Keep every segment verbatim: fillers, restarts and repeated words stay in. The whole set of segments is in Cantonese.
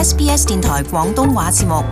S B S 電台廣東話節目。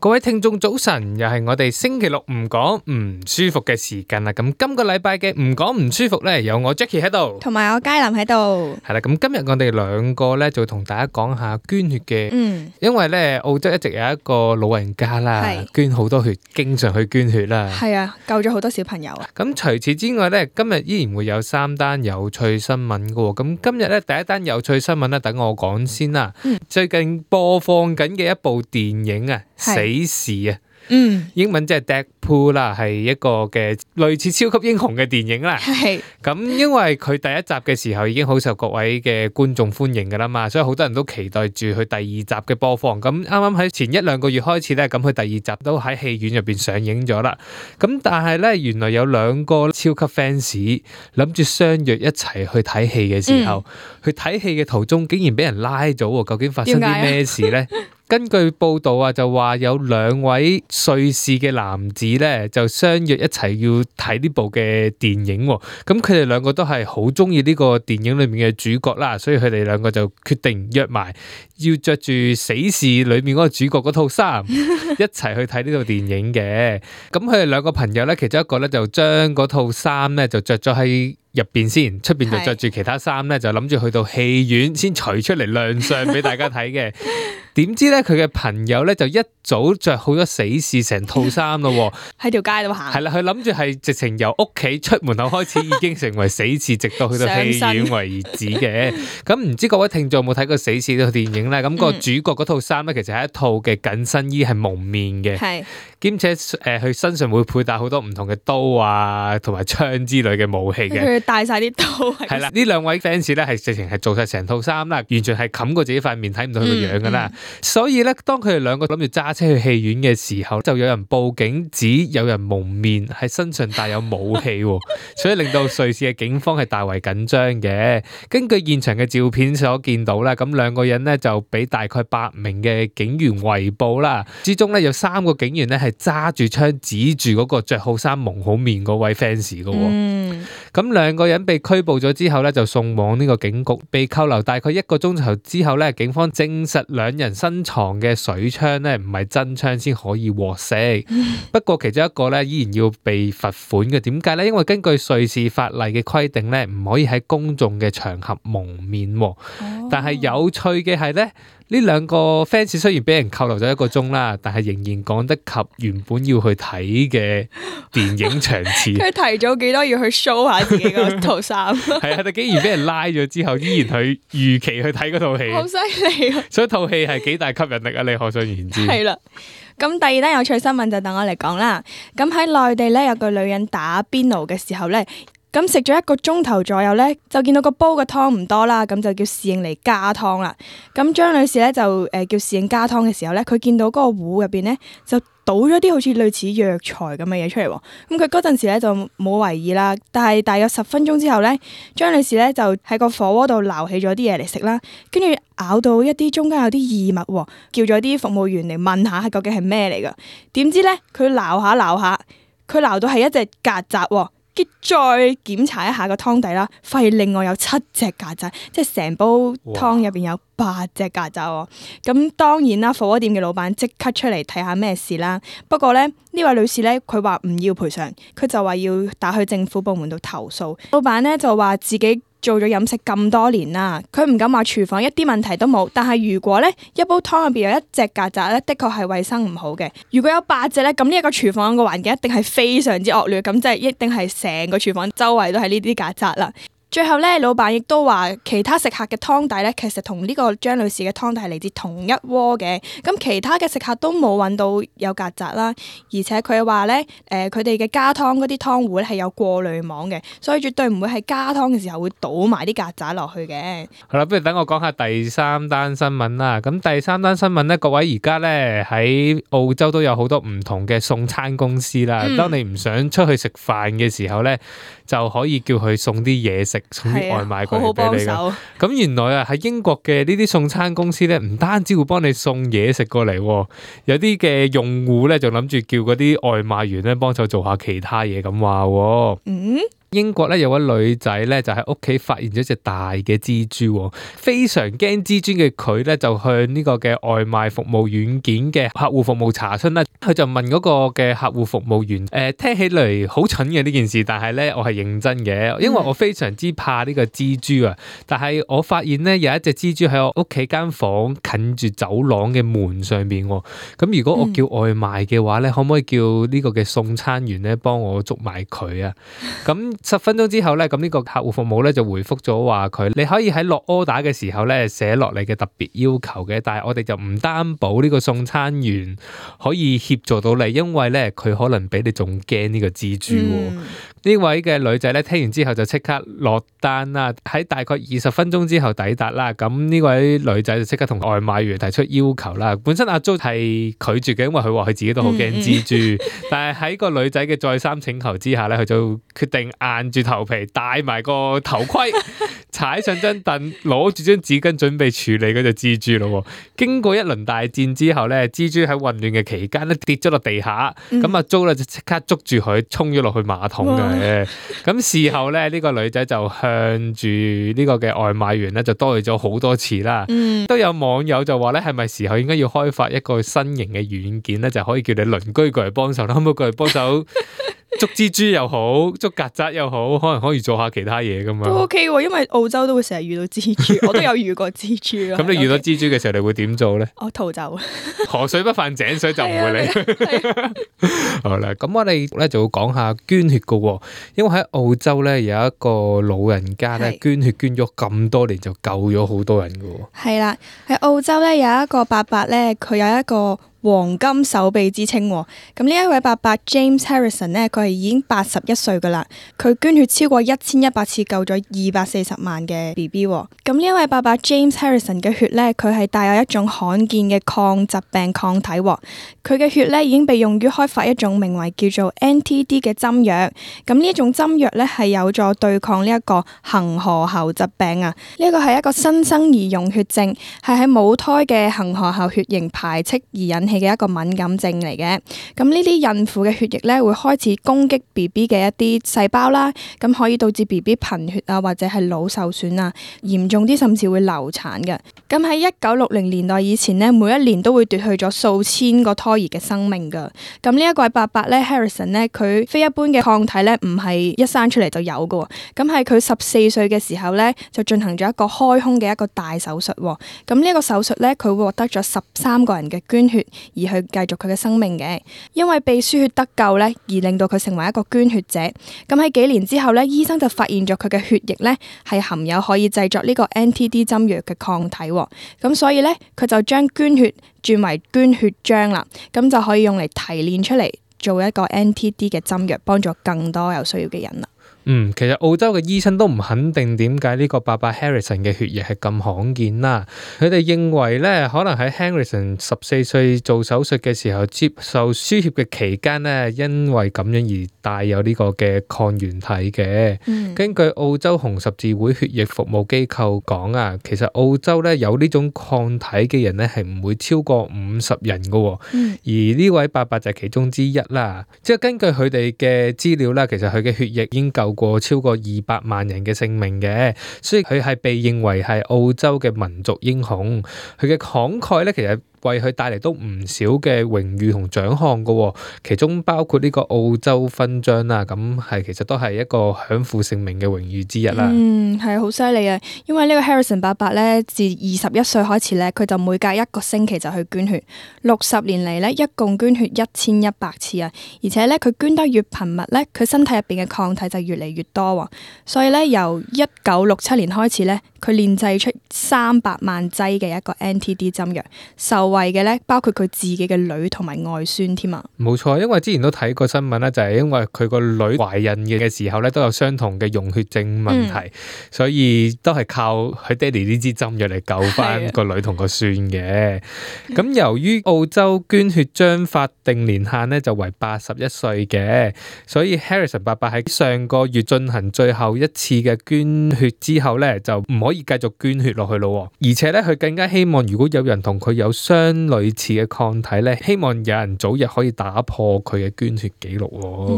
各位聽眾早晨，又係我哋星期六唔講唔舒服嘅時間啦。咁今個禮拜嘅唔講唔舒服呢，有我 Jackie 喺度，同埋我佳琳喺度。係啦，咁今日我哋兩個呢，就同大家講下捐血嘅，嗯，因為呢澳洲一直有一個老人家啦，捐好多血，經常去捐血啦。係啊，救咗好多小朋友啊。咁除此之外呢，今日依然會有三單有趣新聞㗎喎。咁今日呢，第一單有趣新聞呢，等我講先啦。嗯，最近播放緊嘅一部電影啊，死侍啊，嗯，英文即係 Deadpool 啦，係一個嘅類似超級英雄嘅電影啦。係咁，因為佢第一集嘅時候已經好受各位嘅觀眾歡迎噶啦嘛，所以好多人都期待住佢第二集嘅播放。咁啱啱喺前一兩個月開始咧，咁佢第二集都喺戲院入邊上映咗啦。咁但係咧，原來有兩個超級 fans 諗住相約一齊去睇戲嘅時候，嗯、去睇戲嘅途中竟然俾人拉咗，究竟發生啲咩事咧？根據報道啊，就話有兩位瑞士嘅男子咧，就相約一齊要睇呢部嘅電影。咁佢哋兩個都係好中意呢個電影裏面嘅主角啦，所以佢哋兩個就決定約埋，要着住死侍裏面嗰個主角嗰套衫，一齊去睇呢套電影嘅。咁佢哋兩個朋友咧，其中一個咧就將嗰套衫咧就着咗喺入邊先，出邊就着住其他衫咧，就諗住去到戲院先除出嚟亮相俾大家睇嘅。點知咧佢嘅朋友咧就一早着好咗死侍成套衫咯，喺條街度行。係啦，佢諗住係直情由屋企出門口開始已經成為死侍，直到去到戲院為止嘅。咁唔知各位聽眾有冇睇過死侍呢套電影咧？咁、那個主角嗰套衫咧，其實係一套嘅緊身衣，係蒙面嘅，係兼且誒，佢、呃、身上會佩戴好多唔同嘅刀啊，同埋槍之類嘅武器嘅。佢帶晒啲刀。係啦，呢兩位 fans 咧係直情係做晒成套衫啦，完全係冚過自己塊面，睇唔到佢個樣噶啦。嗯嗯所以咧，當佢哋兩個諗住揸車去戲院嘅時候，就有人報警指有人蒙面喺身上帶有武器，所以令到瑞士嘅警方係大為緊張嘅。根據現場嘅照片所見到啦，咁兩個人呢就俾大概八名嘅警員圍捕啦，之中咧有三個警員咧係揸住槍指住嗰個着好衫蒙好面嗰位 fans 嘅。嗯，咁兩個人被拘捕咗之後咧，就送往呢個警局，被扣留大概一個鐘頭之後咧，警方證實兩人身藏嘅水槍咧唔係真槍先可以獲釋。不過其中一個咧依然要被罰款嘅。點解咧？因為根據瑞士法例嘅規定咧，唔可以喺公眾嘅場合蒙面。哦、但係有趣嘅係咧，呢兩個 fans 雖然俾人扣留咗一個鐘啦，但係仍然趕得及原本要去睇嘅電影場次。佢提早幾多要去 show 下自己嗰套衫。係啊，佢竟然俾人拉咗之後，依然去預期去睇嗰套戲。好犀利啊！所以套戲係幾大吸引力啊！你可想而知。係啦。咁第二單有趣新聞就等我嚟講啦。咁喺內地咧，有個女人打邊爐嘅時候咧，咁食咗一個鐘頭左右咧，就見到個煲嘅湯唔多啦，咁就叫侍應嚟加湯啦。咁張女士咧就誒、呃、叫侍應加湯嘅時候咧，佢見到嗰個壺入邊咧就倒咗啲好似類似藥材咁嘅嘢出嚟喎。咁佢嗰陣時咧就冇為意啦，但係大約十分鐘之後咧，張女士咧就喺個火鍋度撈起咗啲嘢嚟食啦，跟住咬到一啲中間有啲異物，叫咗啲服務員嚟問下係究竟係咩嚟噶。點知咧佢撈下撈下，佢撈到係一隻曱甴喎。再檢查一下個湯底啦，發現另外有七隻曱甴，即係成煲湯入邊有八隻曱甴喎。咁當然啦，火鍋店嘅老闆即刻出嚟睇下咩事啦。不過咧，呢位女士咧，佢話唔要賠償，佢就話要打去政府部門度投訴。老闆咧就話自己做咗飲食咁多年啦，佢唔敢話廚房一啲問題都冇，但係如果咧一煲湯入邊有一隻曱甴咧，的確係衛生唔好嘅。如果有八隻咧，咁呢一個廚房個環境一定係非常之惡劣，咁即係一定係成個廚房周圍都係呢啲曱甴啦。最後咧，老闆亦都話其他食客嘅湯底咧，其實同呢個張女士嘅湯底係嚟自同一鍋嘅。咁其他嘅食客都冇揾到有曱甴啦，而且佢話咧，誒佢哋嘅加湯嗰啲湯壺咧係有過濾網嘅，所以絕對唔會係加湯嘅時候會倒埋啲曱甴落去嘅。好啦，不如等我講下第三單新聞啦。咁第三單新聞咧，各位而家咧喺澳洲都有好多唔同嘅送餐公司啦。嗯、當你唔想出去食飯嘅時候咧，就可以叫佢送啲嘢食。送啲外賣過嚟俾你㗎。咁原來啊喺英國嘅呢啲送餐公司咧，唔單止會幫你送嘢食過嚟，有啲嘅用戶咧就諗住叫嗰啲外賣員咧幫手做下其他嘢咁話。嗯，英國咧有位女仔咧就喺屋企發現咗隻大嘅蜘蛛，非常驚蜘蛛嘅佢咧就向呢個嘅外賣服務軟件嘅客戶服務查詢啦。佢就問嗰個嘅客戶服務員，誒、呃，聽起嚟好蠢嘅呢件事，但係咧我係認真嘅，因為我非常之怕呢個蜘蛛啊。但係我發現咧有一隻蜘蛛喺我屋企間房近住走廊嘅門上邊。咁如果我叫外賣嘅話咧，可唔可以叫呢個嘅送餐員咧幫我捉埋佢啊？咁十分鐘之後咧，咁呢個客戶服務咧就回覆咗話佢，你可以喺落 order 嘅時候咧寫落你嘅特別要求嘅，但係我哋就唔擔保呢個送餐員可以協助到你，因為咧佢可能比你仲驚呢個蜘蛛。呢、嗯、位嘅女仔咧聽完之後就即刻落單啦，喺大概二十分鐘之後抵達啦。咁呢位女仔就即刻同外賣員提出要求啦。本身阿 Jo 係拒絕嘅，因為佢話佢自己都好驚蜘蛛，嗯嗯、但係喺個女仔嘅再三請求之下咧，佢就決定硬住頭皮戴埋個頭盔，踩上張凳，攞住張紙巾準備處理嗰隻蜘蛛咯。經過一輪大戰之後咧，蜘蛛喺混亂嘅期間咧跌咗落地下，咁阿 Jo 咧就即刻捉住佢衝咗落去馬桶嘅。咁事後咧呢、呢個女仔就向住呢個嘅外賣員咧就多謝咗好多次啦。嗯、都有網友就話咧，係咪時候應該要開發一個新型嘅軟件咧，就可以叫你鄰居過嚟幫手啦，可唔可以過嚟幫手捉蜘蛛又好，捉曱甴又好，可能可以做下其他嘢噶嘛。都 OK 喎，因為澳洲都會成日遇到蜘蛛，我都有遇過蜘蛛。咁你遇到蜘蛛嘅時候，你會點做咧？我逃走。河水不犯井水就唔會嚟。好啦，咁我哋咧就會講下捐血噶，因為喺澳洲咧有一個老人家咧捐血捐咗咁多年，就救咗好多人噶。係啦，喺澳洲咧有一個伯伯咧，佢有一個黃金手臂之稱，咁呢一位伯伯 James Harrison 呢，佢係已經八十一歲噶啦，佢捐血超過一千一百次，救咗二百四十萬嘅 B B。咁呢一位伯伯 James Harrison 嘅血呢，佢係帶有一種罕見嘅抗疾病抗體，佢嘅血呢已經被用於開發一種名為叫做 N T D 嘅針藥。咁呢一種針藥呢，係有助對抗呢一個恒河猴疾病啊。呢一個係一個新生兒溶血症，係喺母胎嘅恒河猴血型排斥而引起嘅一個敏感症嚟嘅。咁呢啲孕婦嘅血液咧會開始攻擊 B B 嘅一啲細胞啦，咁可以導致 B B 貧血啊，或者係腦受損啊，嚴重啲甚至會流產嘅。咁喺一九六零年代以前呢，每一年都會奪去咗數千個胎兒嘅生命噶。咁呢一個伯伯咧 Harrison 咧，佢非一般嘅抗體咧唔係一生出嚟就有嘅。咁喺佢十四歲嘅時候咧，就進行咗一個開胸嘅一個大手術。咁呢一個手術咧，佢獲得咗十三個人嘅捐血，而去繼續佢嘅生命嘅。因為被輸血得救咧，而令到佢成為一個捐血者。咁喺幾年之後咧，醫生就發現咗佢嘅血液咧係含有可以製作呢個 N T D 針藥嘅抗體。咁所以咧，佢就將捐血轉為捐血漿啦。咁就可以用嚟提煉出嚟做一個 N T D 嘅針藥，幫助更多有需要嘅人啦。嗯，其實澳洲嘅醫生都唔肯定點解呢個伯伯 Harrison 嘅血液係咁罕見啦。佢哋認為咧，可能喺 Harrison 十四歲做手術嘅時候接受輸血嘅期間咧，因為咁樣而帶有呢個嘅抗原體嘅。嗯、根據澳洲紅十字會血液服務機構講啊，其實澳洲咧有呢種抗體嘅人咧係唔會超過五十人㗎。嗯、而呢位伯伯就係其中之一啦。即係根據佢哋嘅資料啦，其實佢嘅血液已經夠過超過二百萬人嘅性命嘅，所以佢係被認為係澳洲嘅民族英雄。佢嘅慷慨咧，其實為佢帶嚟都唔少嘅榮譽同獎項噶，其中包括呢個澳洲勳章啦，咁係其實都係一個享負盛名嘅榮譽之一啦。嗯，係好犀利啊！因為呢個 Harrison 伯伯咧，自二十一歲開始咧，佢就每隔一個星期就去捐血，六十年嚟咧，一共捐血一千一百次啊！而且咧，佢捐得越頻密咧，佢身體入邊嘅抗體就越嚟越多。所以咧，由一九六七年開始咧，佢煉製出三百萬劑嘅一個 N T D 針藥，受惠嘅咧，包括佢自己嘅女同埋外孫添啊。冇錯，因為之前都睇過新聞啦，就係因為佢個女懷孕嘅時候咧，都有相同嘅溶血症問題，嗯、所以都係靠佢爹哋呢支針藥嚟救翻個女同個孫嘅。咁的由於澳洲捐血漿法定年限咧就為八十一歲嘅，所以 Harrison 伯伯喺上個月進行最後一次嘅捐血之後咧，就唔可以繼續捐血落去咯。而且咧，佢更加希望如果有人同佢有相相類似嘅抗體咧，希望有人早日可以打破佢嘅捐血記錄。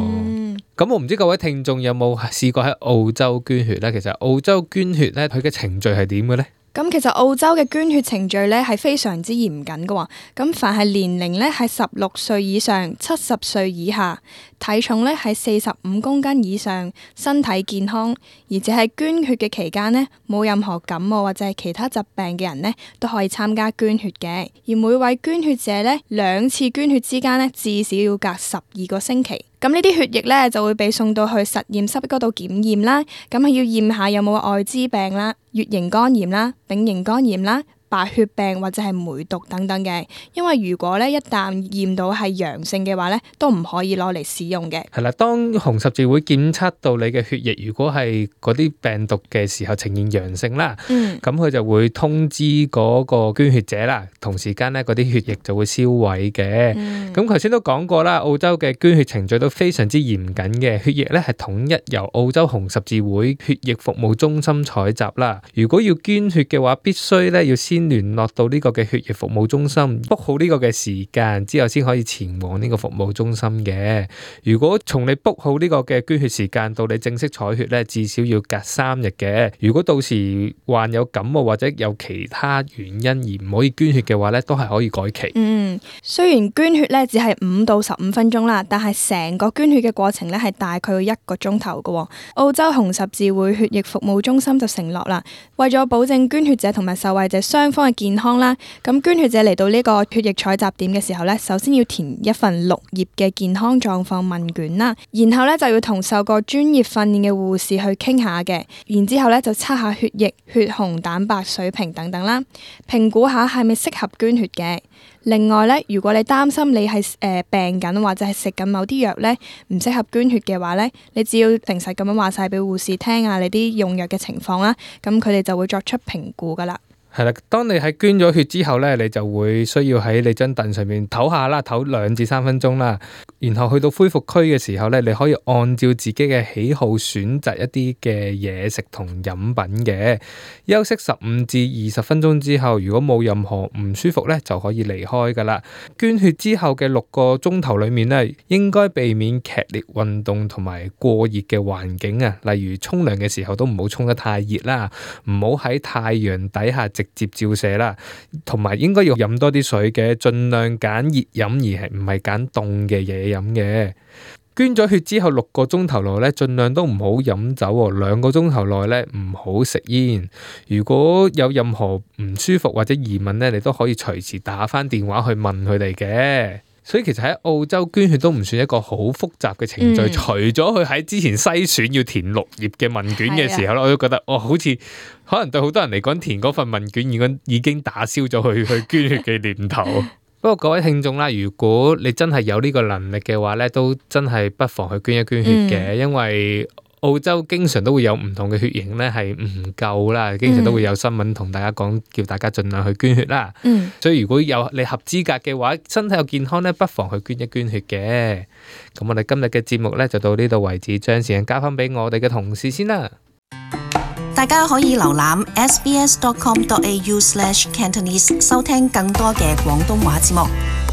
嗯，咁我唔知各位聽眾有冇試過喺澳洲捐血咧？其實澳洲捐血咧，佢嘅程序係點嘅咧？咁其實澳洲嘅捐血程序咧係非常之嚴謹嘅喎。咁凡係年齡咧係十六歲以上、七十歲以下、體重咧係四十五公斤以上、身體健康，而且係捐血嘅期間呢，冇任何感冒或者係其他疾病嘅人呢，都可以參加捐血嘅。而每位捐血者呢，兩次捐血之間呢，至少要隔十二個星期。咁呢啲血液咧就會被送到去實驗室嗰度檢驗啦，咁係要驗下有冇愛滋病啦、乙型肝炎啦、丙型肝炎啦、白血病或者係梅毒等等嘅。因為如果咧一旦驗到係陽性嘅話咧，都唔可以攞嚟使用嘅。係啦，當紅十字會檢測到你嘅血液如果係嗰啲病毒嘅時候呈現陽性啦，咁佢、嗯、就會通知嗰個捐血者啦，同時間咧嗰啲血液就會銷毀嘅。咁頭先都講過啦，澳洲嘅捐血程序都非常之嚴謹嘅，血液咧係統一由澳洲紅十字會血液服務中心採集啦。如果要捐血嘅話，必須咧要先聯絡到呢個嘅血液服務中心 book 好呢個嘅時間之後先可以前往呢個服務中心嘅。如果從你 book 好呢個嘅捐血時間到你正式採血咧，至少要隔三日嘅。如果到時患有感冒或者有其他原因而唔可以捐血嘅話咧，都係可以改期。嗯，雖然捐血咧只係五到十五分鐘啦，但係成個捐血嘅過程咧係大概要一個鐘頭嘅。澳洲紅十字會血液服務中心就承諾啦，為咗保證捐血者同埋受惠者雙方嘅健康啦，咁捐血者嚟到呢個血液採集點嘅時候咧，首先要填一份六頁嘅健康狀況問卷啦，然後咧就要同受過專業訓練嘅護士去傾下嘅，然之後咧就測下血液、血紅蛋白水平等等啦，評估下係咪適合捐血嘅。另外咧，如果你擔心你係誒、呃、病緊或者係食緊某啲藥咧唔適合捐血嘅話咧，你只要誠實咁樣話晒俾護士聽啊，你啲用藥嘅情況啦，咁佢哋就會作出評估噶啦。係啦，當你喺捐咗血之後咧，你就會需要喺你張凳上面唞下啦，唞兩至三分鐘啦。然後去到恢復區嘅時候咧，你可以按照自己嘅喜好選擇一啲嘅嘢食同飲品嘅。休息十五至二十分鐘之後，如果冇任何唔舒服咧，就可以離開噶啦。捐血之後嘅六個鐘頭裏面咧，應該避免劇烈運動同埋過熱嘅環境啊，例如沖涼嘅時候都唔好沖得太熱啦，唔好喺太陽底下直接照射啦，同埋應該要飲多啲水嘅，盡量揀熱飲而係唔係揀凍嘅嘢飲嘅。捐咗血之後六個鐘頭內咧，盡量都唔好飲酒喎。兩個鐘頭內咧唔好食煙。如果有任何唔舒服或者疑問咧，你都可以隨時打返電話去問佢哋嘅。所以其實喺澳洲捐血都唔算一個好複雜嘅程序，嗯、除咗佢喺之前篩選要填六頁嘅問卷嘅時候咧，的我都覺得哦，好似可能對好多人嚟講，填嗰份問卷已經已經打消咗佢去捐血嘅念頭。不過各位聽眾啦，如果你真係有呢個能力嘅話咧，都真係不妨去捐一捐血嘅，嗯、因為澳洲經常都會有唔同嘅血型咧係唔夠啦，經常都會有新聞同大家講，叫大家盡量去捐血啦。嗯、所以如果有你合資格嘅話，身體又健康咧，不妨去捐一捐血嘅。咁我哋今日嘅節目咧就到呢度為止，將時間交翻俾我哋嘅同事先啦。大家可以瀏覽 s b s dot com dot a u slash cantonese 收聽更多嘅廣東話節目。